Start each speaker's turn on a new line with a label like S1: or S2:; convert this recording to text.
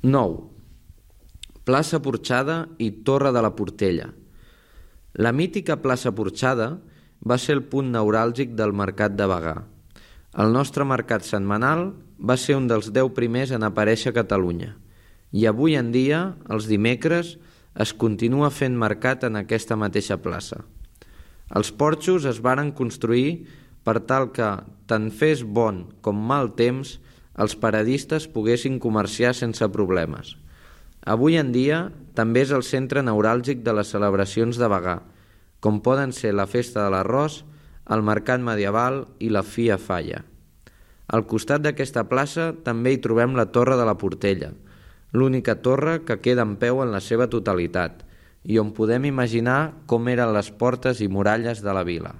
S1: 9. Plaça Porxada i Torre de la Portella. La mítica plaça Porxada va ser el punt neuràlgic del mercat de Bagà. El nostre mercat setmanal va ser un dels 10 primers en aparèixer a Catalunya i avui en dia, els dimecres, es continua fent mercat en aquesta mateixa plaça. Els porxos es varen construir per tal que, tant fes bon com mal temps, els paradistes poguessin comerciar sense problemes. Avui en dia també és el centre neuràlgic de les celebracions de Bagà, com poden ser la Festa de l'Arròs, el Mercat Medieval i la Fia Falla. Al costat d'aquesta plaça també hi trobem la Torre de la Portella, l'única torre que queda en peu en la seva totalitat i on podem imaginar com eren les portes i muralles de la vila.